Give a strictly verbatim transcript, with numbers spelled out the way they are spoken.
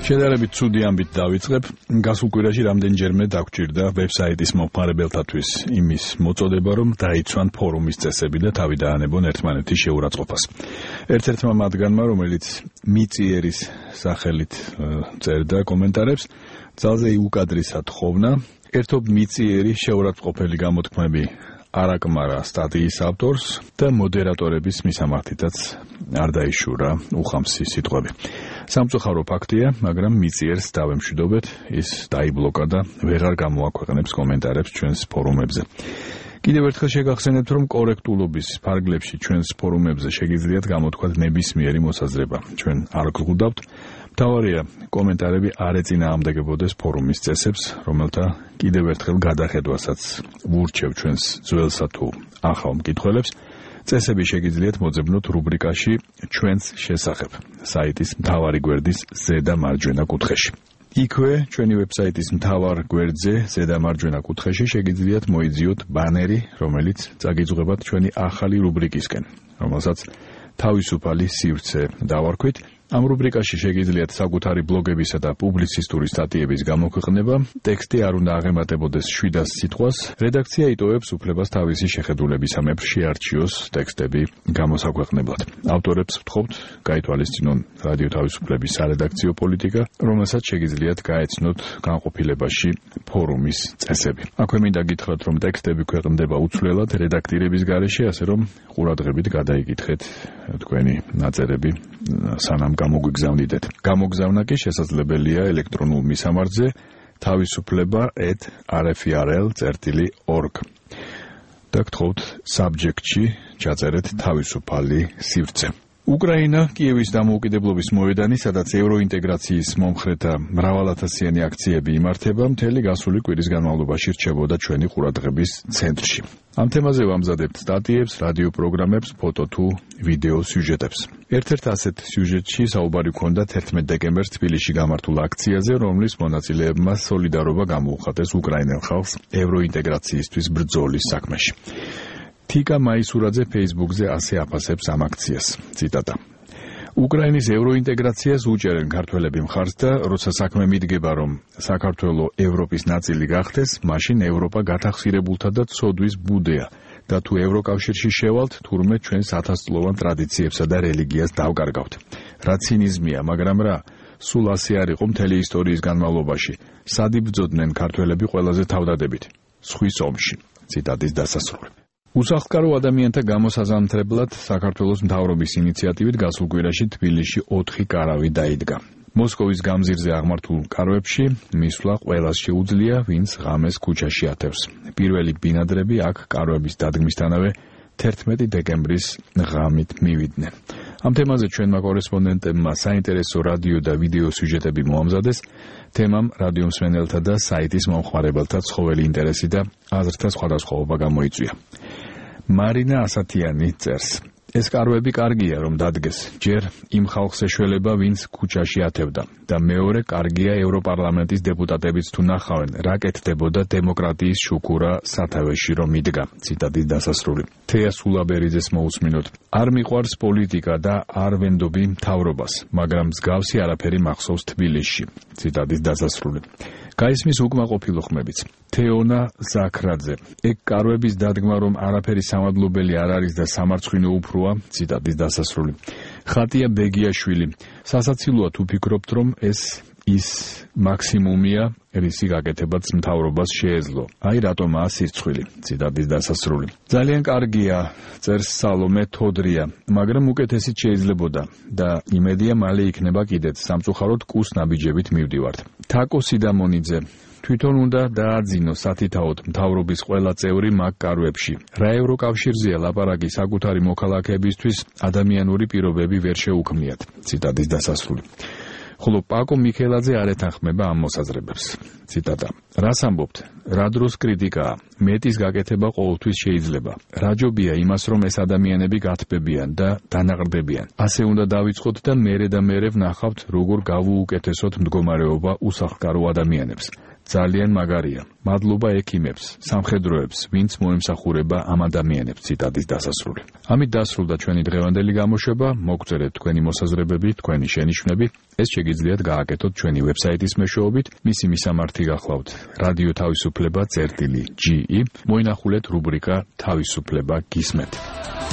შედარებით ცუდი ამბით დავიწყებ. გასულ კვირაში რამდენჯერმე დაგვჭირდა ვებსაიტის მომხმარებელთათვის იმის მოწოდება, რომ დაიცვან ფორუმის წესები და თავი დაანებონ ერთმანეთის შეურაცხყოფას. ერთ-ერთმა მათგანმა, რომელიც მიწიერის სახელით წერდა კომენტარებს, ძალზე იუკადრისა თხოვნა, ერთობ მიწიერი შეურაცხყოფელი გამოთქმები არ აკმარა სტატიის ავტორს და მოდერატორების მისამართითაც არ დაიშურა უხამსი სიტყვები. სამწუხარო ფაქტია, მაგრამ მიწიერს დავემშვიდობეთ, ის დაიბლოკა და ვეღარ გამოაქვეყნებს კომენტარებს ჩვენს ფორუმებზე. კიდევ ერთხელ შეგახსენებთ, რომ კორექტულობის ფარგლებში ჩვენს ფორუმებზე შეგიძლიათ გამოთქვათ ნებისმიერი მოსაზრება. ჩვენ არ გვხვდავთ. მთავარია, კომენტარები არ ეწინააღმდეგებოდეს ფორუმის წესებს, რომელთა კიდევ ერთხელ გადახედვასაც ვურჩევ ჩვენს ძველსა თუ ახალ მკითხველებს. წესები შეგიძლიათ მოძებნოთ რუბრიკაში ჩვენს შესახებ, საიტის მთავარი გვერდის ზედა მარჯვენა კუთხეში. იქვე ჩვენი ვებსაიტის მთავარ გვერდზე ზედა მარჯვენა კუთხეში შეგიძლიათ მოიძიოთ ბანერი, რომელიც წაგიძღვებათ ჩვენი ახალი რუბრიკისკენ, რომელსაც თავისუფალი სივრცე დავარქვით. ამ რუბრიკაში შეგიძლიათ საკუთარი ბლოგებისა და პუბლიცისტური სტატიების გამოქვეყნება, ტექსტი არ უნდა აღემატებოდეს შვიდას სიტყვას, რედაქცია იტოვებს უფლებას თავისი შეხედულებისამებრ შეარჩიოს ტექსტები გამოსაქვეყნებლად. ავტორებს ვთხოვთ, გაითვალისწინონ რადიო თავისუფლების სარედაქციო პოლიტიკა, რომელსაც შეგიძლიათ გაეცნოთ განყოფილებაში ფორუმის წესები. აქვე მინდა გითხრათ, რომ ტექსტები ქვეყნდება უცვლელად რედაქტირების გარეშე, ასე რომ ყურადღებით გადაიკითხეთ თქვენი ნაწერები სანამ გამოგვიგზავნიდეთ. გამოგზავნა კი შესაძლებელია ელექტრონულ მისამართზე თავისუფლება at r f r l dot org. და გთხოვთ საბჯექტში ჩაწერეთ თავისუფალი სივრცე. უკრაინა კიევის დამოუკიდებლობის მოედანი, სადაც ევროინტეგრაციის მომხრეთა მრავალათასიანი აქციები იმართება, მთელი გასული კვირის განმავლობაში რჩებოდა ჩვენი ყურადღების ცენტრში. ამ თემაზე ვამზადებთ სტატიებს, რადიო პროგრამებს, ფოტო თუ ვიდეო სიუჟეტებს. ერთ-ერთ ასეთ სიუჟეტში საუბარი ჰქონდა თერთმეტ დეკემბერს თბილისში გამართულ აქციაზე, რომლის მონაწილეებმა სოლიდარობა გამოუხატეს უკრაინელ ხალხს ევროინტეგრაციისთვის ბრძოლის საქმეში. თიკა მაისურაძე ფეისბუქზე ასე აფასებს ამ აქციას. ციტატა. უკრაინის ევროინტეგრაციას უჭერენ ქართველები მხარს და როცა საქმე მიდგება, რომ საქართველო ევროპის ნაწილი გახდეს, მაშინ ევროპა გათახსირებულთა და ცოდვის ბუდეა და თუ ევროკავშირში შევალთ, თურმე ჩვენს ათასწლოვან ტრადიციებსა და რელიგიას დავკარგავთ. რა ცინიზმია, მაგრამ რა, სულ ასე არ იყო მთელი ისტორიის განმავლობაში. სად იბრძოდნენ ქართველები ყველაზე თავდადებით? სხვის ომში. ციტატის დასასრული. უსახლკარო ადამიანთა გამოსაზამთრებლად საქართველოს მთავრობის ინიციატივით გასულ კვირაში თბილისში ოთხი კარავი დაიდგა. მოსკოვის გამზირზე აღმართულ კარვებში მისვლა ყველას შეუძლია, ვინც ღამეს ქუჩაში ათევს. პირველი ბინადრები აქ კარვების დადგმისთანავე თერთმეტი დეკემბრის ღამით მივიდნენ. ამ თემაზე ჩვენმა კორესპონდენტებმა საინტერესო რადიო და ვიდეო სიუჟეტები მოამზადეს. თემამ რადიო მსმენელთა და საიტის მომხმარებელთა ცხოველი ინტერესი და აზრთა სხვადასხვაობა გამოიწვია. მარინა ასათიანი წერს. ეს კარვები კარგია, რომ დადგეს. ჯერ იმ ხალხს ეშველება, ვინც ქუჩაში ათევდა და მეორე კარგია ევროპარლამენტის დეპუტატებიც თუ ნახავენ, რა კეთდებოდა დემოკრატიის შუქურა სათავეში რომ იდგა. ციტატის დასასრული. თეა სულაბერიძეს მოусმინოთ. არ მიყვარს პოლიტიკა და არ ვენდობი მთავრობას, მაგრამ მსგავსი არაფერი მახსოვს თბილისში. ციტატის დასასრული. გაისმის უკმაყოფილო ხმებიც. თეონა ზაქრაძე. ეგ კარვების დადგმა, რომ არაფერი სამადლობელი არ არის და სამარცხვინო უფროა. ციტატის დასასრული. ხატია ბეგიაშვილი. სასაცილოა თუ ფიქრობთ, რომ ეს ის მაქსიმუმია, რისი გაკეთებაც მთავრობას შეეძლო. აი რატომაა სირცხვილი. ციტატის დასასრული. ძალიან კარგია, წერს სალომე თოდრია, მაგრამ უკეთესიც შეიძლებოდა და იმედია მალე იქნება კიდეც. სამწუხაროდ კუს ნაბიჯებით მივდივართ. თაკო სიდამონიძე. თვითონ უნდა დააძინო სათითაოდ მთავრობის ყველა წევრი მაგ კარვებში. რა ევროკავშირზეა ლაპარაკი საკუთარი მოქალაქეებისთვის ადამიანური პირობები ვერ შეუქმნიათ. ციტატის დასასრული. ხოლო პაკო მიქელაძე არ ეთანხმება ამ მოსაზრებებს. ციტატა. რას ამბობთ? რა დროს კრიტიკაა? მეტის გაკეთება ყოველთვის შეიძლება. რა ჯობია იმას, რომ ეს ადამიანები გათბებიან და დანაყრდებიან. ასე უნდა დავიწყოთ და მერე და მერე ვნახავთ, როგორ გავუუკეთესოთ მდგომარეობა უსახლკარო ადამიანებს. ძალიან მაგარია. მადლობა ექიმებს, სამხედროებს, ვინც მოემსახურება ამ ადამიანებს. ციტატის დასასრული. ამით დასრულდა ჩვენი დღევანდელი გამოშვება. მოგწერეთ თქვენი მოსაზრებები, თქვენი შენიშვნები. ეს შეგიძლიათ გააკეთოთ ჩვენი ვებსაიტის მეშვეობით. მისი მისამართი გახლავთ რადიო თავისუფლება წერტილი ჯი ი. მოინახულეთ რუბრიკა თავისუფლება გისმენთ.